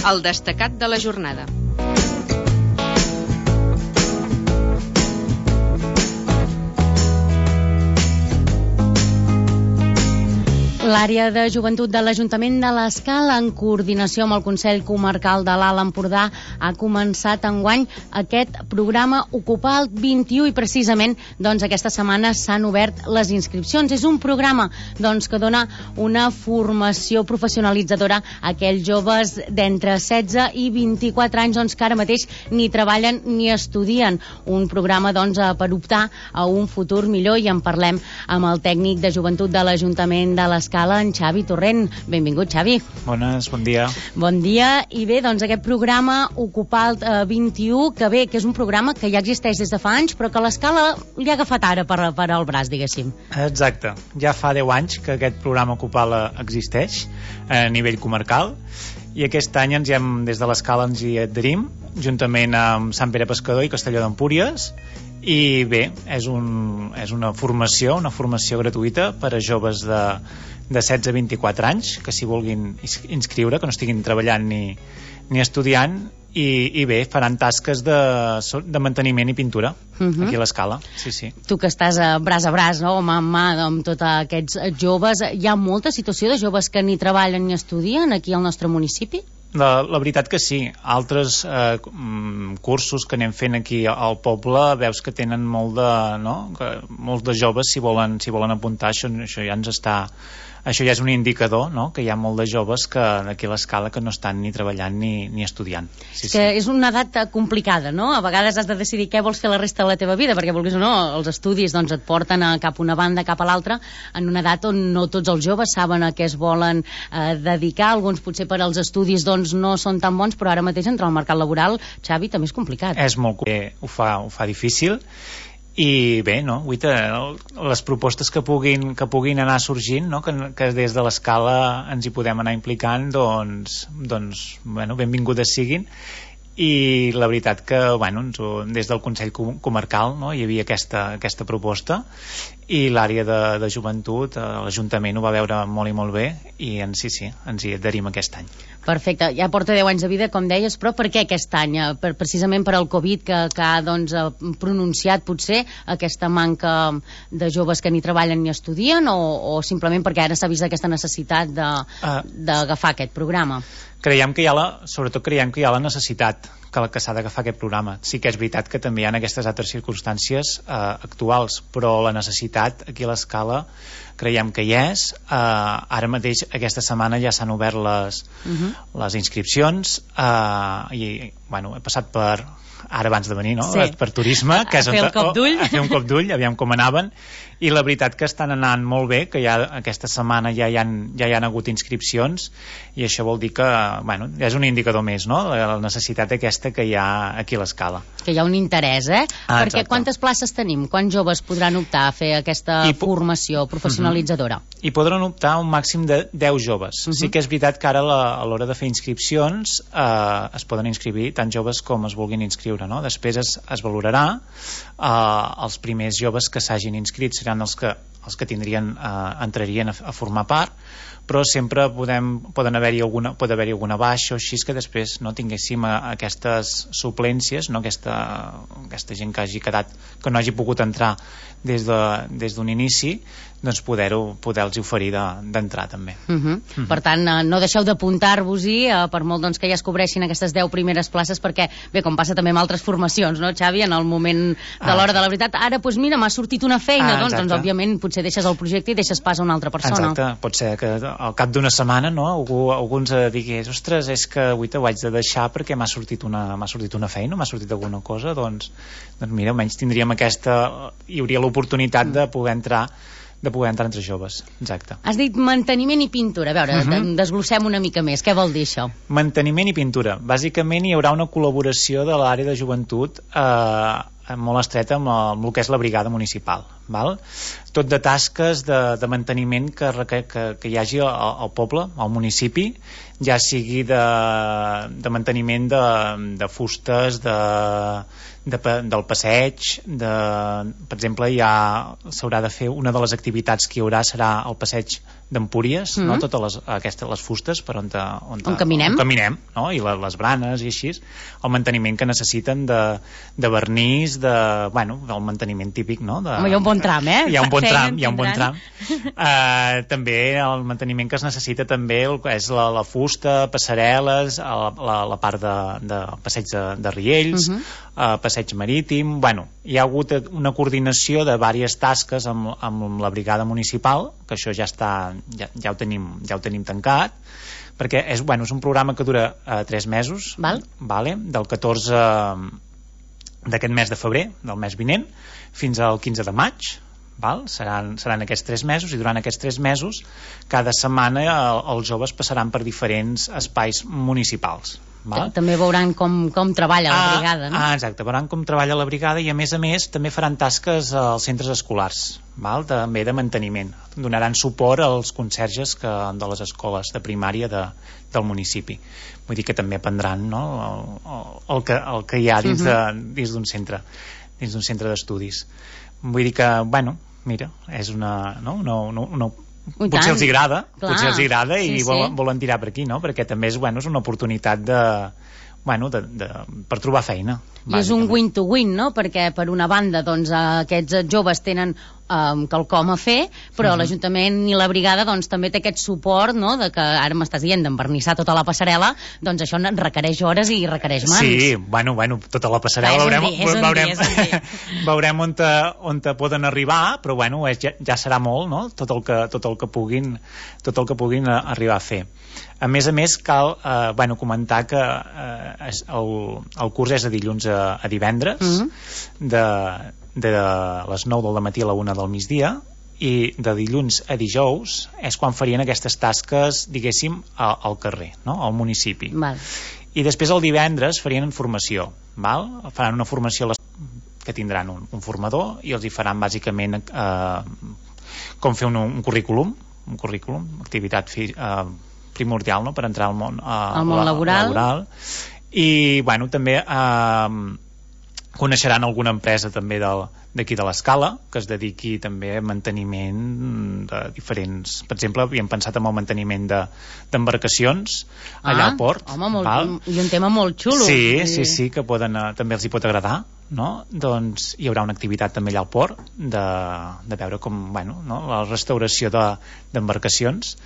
El destacat de la jornada. L'àrea de joventut de l'Ajuntament de l'Escala, en coordinació amb el Consell Comarcal de l'Alt Empordà, ha començat enguany aquest programa Ocupar el 21 i precisament aquesta setmana s'han obert les inscripcions. És un programa que dona una formació professionalitzadora a aquells joves d'entre 16 i 24 anys que ara mateix ni treballen ni estudien. Un programa per optar a un futur millor, i en parlem amb el tècnic de joventut de l'Ajuntament de l'Escala, en Xavi Torrent. Benvingut, Xavi. Bones, bon dia. Bon dia. I bé, aquest programa Ocupar el 21, que és un programa que ja existeix des de fa anys, però que l'Escala li ha agafat ara per al braç, diguéssim. Exacte. Ja fa 10 anys que aquest programa Ocupar existeix a nivell comarcal, i aquest any des de l'Escala ens hi adherim, juntament amb Sant Pere Pescador i Castelló d'Empúries. I bé, és una formació gratuïta per a joves de 16 a 24 anys que s'hi vulguin inscriure, que no estiguin treballant ni estudiant, i bé, faran tasques de manteniment i pintura aquí a l'Escala. Sí. Tu que estàs braç a braç, mà en mà amb tots aquests joves, hi ha molta situació de joves que ni treballen ni estudien aquí al nostre municipi? La veritat que sí. Altres cursos que anem fent aquí al poble veus que tenen molts de joves si volen apuntar. Això ja és un indicador, que hi ha molt de joves que aquí a l'Escala que no estan ni treballant ni estudiant. Sí. És una edat complicada, no? A vegades has de decidir què vols fer la resta de la teva vida, perquè vulguis o no, els estudis et porten cap a una banda, cap a l'altra, en una edat on no tots els joves saben a què es volen dedicar. Alguns potser per als estudis no són tan bons, però ara mateix entrar al mercat laboral, Xavi, també és complicat. És molt complicat, ho fa difícil. I bé, les propostes que puguin anar sorgint, que des de l'Escala ens hi podem anar implicant, benvingudes siguin. I la veritat que des del Consell Comarcal hi havia aquesta proposta, i l'àrea de joventut, l'Ajuntament ho va veure molt i molt bé, i ens hi adherim aquest any. Perfecte, ja porta 10 anys de vida, com deies, però per què aquest any? Precisament per al Covid que ha pronunciat potser aquesta manca de joves que ni treballen ni estudien, o simplement perquè ara s'ha vist aquesta necessitat d'agafar aquest programa? Creiem que hi ha la necessitat que s'ha d'agafar aquest programa. Sí que és veritat que també hi ha aquestes altres circumstàncies actuals, però la necessitat aquí a l'Escala creiem que hi és. Ara mateix aquesta setmana ja s'han obert les inscripcions, i he passat per ara abans de venir, per turisme, que és a fer un cop d'ull, aviam com anaven, i la veritat que estan anant molt bé, que ja aquesta setmana ja hi han hagut inscripcions, i això vol dir que és un indicador més, la necessitat aquesta que hi ha aquí a l'Escala. Que hi ha un interès, perquè quantes places tenim? Quants joves podran optar a fer aquesta formació professionalitzadora? Hi podran optar un màxim de 10 joves. Sí que és veritat que ara a l'hora de fer inscripcions es poden inscriure tant joves com es vulguin inscriure. Després es valorarà, els primers joves que s'hagin inscrit seran els que entrarien a formar part, però sempre pot haver-hi alguna baixa o així, que després no tinguéssim aquestes suplències, aquesta gent que hagi quedat, que no hagi pogut entrar des d'un inici, poder-los oferir d'entrar també. Per tant, no deixeu d'apuntar-vos-hi, per molt que ja es cobreixin aquestes 10 primeres places, perquè bé, com passa també amb altres formacions, no, Xavi, en el moment de l'hora de la veritat, ara mira, m'ha sortit una feina, doncs òbviament potser deixes el projecte i deixes pas a una altra persona. Exacte, pot ser que al cap d'una setmana algú ens digués, ostres, és que avui t'ho haig de deixar perquè m'ha sortit una feina, m'ha sortit alguna cosa, doncs mira, almenys tindríem hi hauria l'oportunitat de poder entrar entre joves. Exacte. Has dit manteniment i pintura. A veure, desglossem una mica més. Què vol dir això? Manteniment i pintura. Bàsicament hi haurà una col·laboració de l'àrea de joventut molt estreta amb el que és la brigada municipal, val? Tot de tasques de manteniment que hi hagi al poble, al municipi, ja sigui de manteniment de fustes, del passeig, per exemple, s'haurà de fer, una de les activitats que hi haurà serà el passeig d'Empúries, no? Totes les fustes per on caminem, no? I les branes i així, el manteniment que necessiten de vernís, del manteniment típic, no? Home, hi ha un bon tram, hi ha un bon tram. També el manteniment que es necessita també és la fusta, passarel·les, la part de passeig de riells, passeig marítim. Hi ha hagut una coordinació de diverses tasques amb la brigada municipal, que això ja ho tenim tancat, perquè és un programa que dura 3 mesos, del 14 d'aquest mes de febrer, del mes vinent, fins al 15 de maig. Seran aquests 3 mesos, i durant aquests 3 mesos cada setmana els joves passaran per diferents espais municipals. També veuran com treballa la brigada, no? Exacte, veuran com treballa la brigada, i a més també faran tasques als centres escolars, també de manteniment. Donaran suport als conserges de les escoles de primària del municipi. Vull dir que també aprendran, no, el que hi ha dins d'un centre d'estudis. Vull dir que, mira, és potser els agrada i volen tirar per aquí, no? Perquè també és una oportunitat per trobar feina. I és un win to win, no? Perquè per una banda aquests joves tenen quelcom a fer, però l'Ajuntament i la brigada també té aquest suport, no? De que ara m'estàs dient d'envernissar tota la passarel·la, doncs això requereix hores i requereix mans. Sí, tota la passarel·la veurem on poden arribar, però ja serà molt, no? Tot el que puguin arribar a fer. A més, cal comentar que el curs és de dilluns a divendres, de les 9 del matí a la 1 del migdia, i de dilluns a dijous és quan farien aquestes tasques, diguéssim, al carrer, no? Al municipi. I després el divendres farien formació. Faran una formació que tindran un formador, i els hi faran bàsicament com fer un currículum, activitat primordial, no?, per entrar al món laboral. I també coneixeran alguna empresa també d'aquí de l'Escala que es dediqui també a manteniment de diferents... Per exemple, havíem pensat en el manteniment d'embarcacions allà al port. I un tema molt xulo. Sí, que també els hi pot agradar, no? Doncs hi haurà una activitat també allà al port de veure com, la restauració d'embarcacions.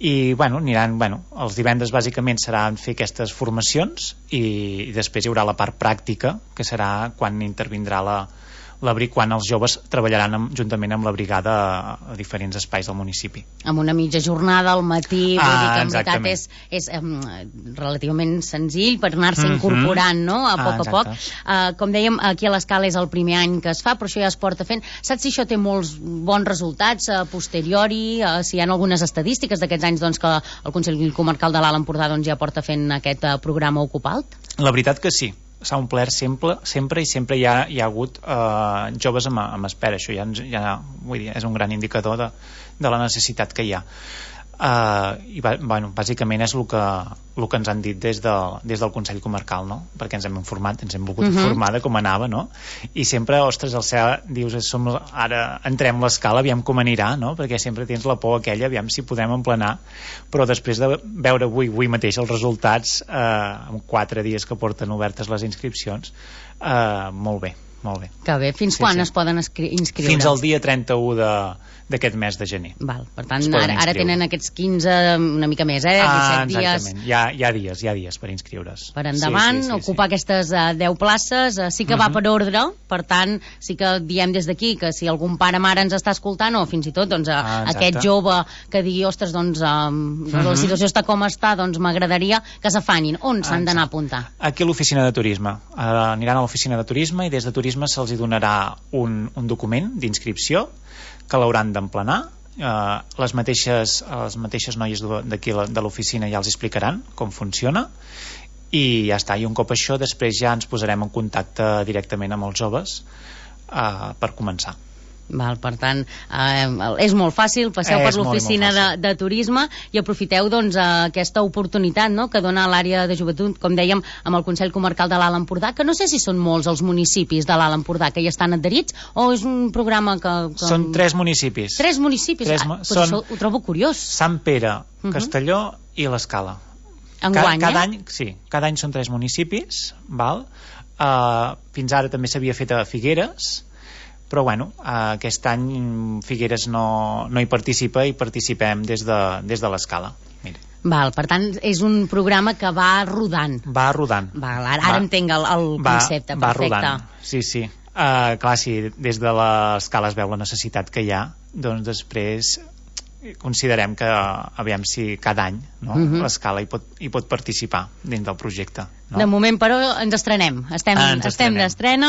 I aniran, els divendres bàsicament seran fer aquestes formacions, i després hi haurà la part pràctica, que serà quan intervindrà quan els joves treballaran juntament amb la brigada a diferents espais del municipi. Amb una mitja jornada al matí, vull dir que en veritat és relativament senzill per anar-se incorporant, no?, a poc. Com dèiem, aquí a l'Escala és el primer any que es fa, però això ja es porta fent. Saps si això té molts bons resultats a posteriori, si hi ha algunes estadístiques d'aquests anys que el Consell Comarcal de l'Alt Empordà ja porta fent aquest programa Ocupalt? La veritat que sí, s'ha omplert sempre i sempre hi ha hagut joves amb espera. Això vull dir, és un gran indicador de la necessitat que hi ha. I bàsicament és el que ens han dit des del Consell Comarcal, no? Perquè ens hem informat, ens hem volgut informar de com anava, no? I sempre, ostres, dius, ara entrem l'Escala, aviam com anirà, no? Perquè sempre tens la por aquella, aviam si podem emplenar, però després de veure avui mateix els resultats, en 4 dies que porten obertes les inscripcions, molt bé. Que bé, fins quan es poden inscriure? Fins al dia 31 d'aquest mes de gener. Per tant, ara tenen aquests 15, una mica més, 17 dies. Exactament, hi ha dies per inscriure's. Per endavant, ocupar aquestes 10 places, sí que va per ordre, per tant, sí que diem des d'aquí que si algun pare o mare ens està escoltant, o fins i tot aquest jove que digui, ostres, la situació està com està, m'agradaria que s'afanin. On s'han d'anar a apuntar? Aquí a l'oficina de turisme. Aniran a l'oficina de turisme, i des de turisme se'ls donarà un document d'inscripció que l'hauran d'emplenar. Les mateixes noies d'aquí de l'oficina ja els explicaran com funciona, i ja està. I un cop això, després ja ens posarem en contacte directament amb els joves per començar. Val, per tant, és molt fàcil, passeu per l'oficina de turisme i aprofiteu doncs, aquesta oportunitat, no?, que dona l'àrea de joventut, com dèiem, amb el Consell Comarcal de l'Alt Empordà, que no sé si són molts els municipis de l'Alt Empordà que hi estan adherits, o és un programa que... Són 3 municipis. 3 municipis? Això ho trobo curiós. Sant Pere, Castelló i l'Escala. Enguany, cada any són 3 municipis, val? Fins ara també s'havia fet a Figueres, però bueno, aquest any Figueres no hi participa i participem des de l'Escala. Val, per tant, és un programa que va rodant. Va rodant. Val, ara entenc el concepte, perfecte. Va rodant, sí. Clar, si des de l'Escala es veu la necessitat que hi ha, doncs després considerem que, aviam si cada any, no? L'Escala hi pot participar dins del projecte. No? De moment, però, ens estrenem. Estem d'estrena,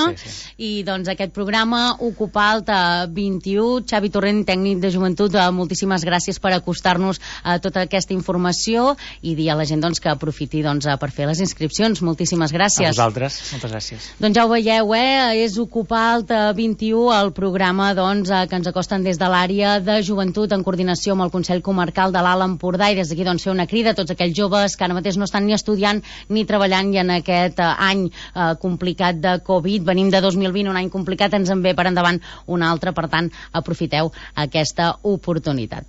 i doncs aquest programa Ocupalt 21, Xavi Torrent, tècnic de joventut, moltíssimes gràcies per acostar-nos a tota aquesta informació i dir a la gent doncs, que aprofiti per fer les inscripcions. Moltíssimes gràcies. A vosaltres, moltes gràcies. Doncs ja ho veieu, és Ocupalt 21, el programa que ens acosten des de l'àrea de joventut en coordinació amb el Consell Comarcal de l'Alt Empordà, i des d'aquí fer una crida a tots aquells joves que ara mateix no estan ni estudiant ni treballant, i en aquest any complicat de Covid, venim de 2020, un any complicat, ens en ve per endavant un altre, per tant aprofiteu aquesta oportunitat.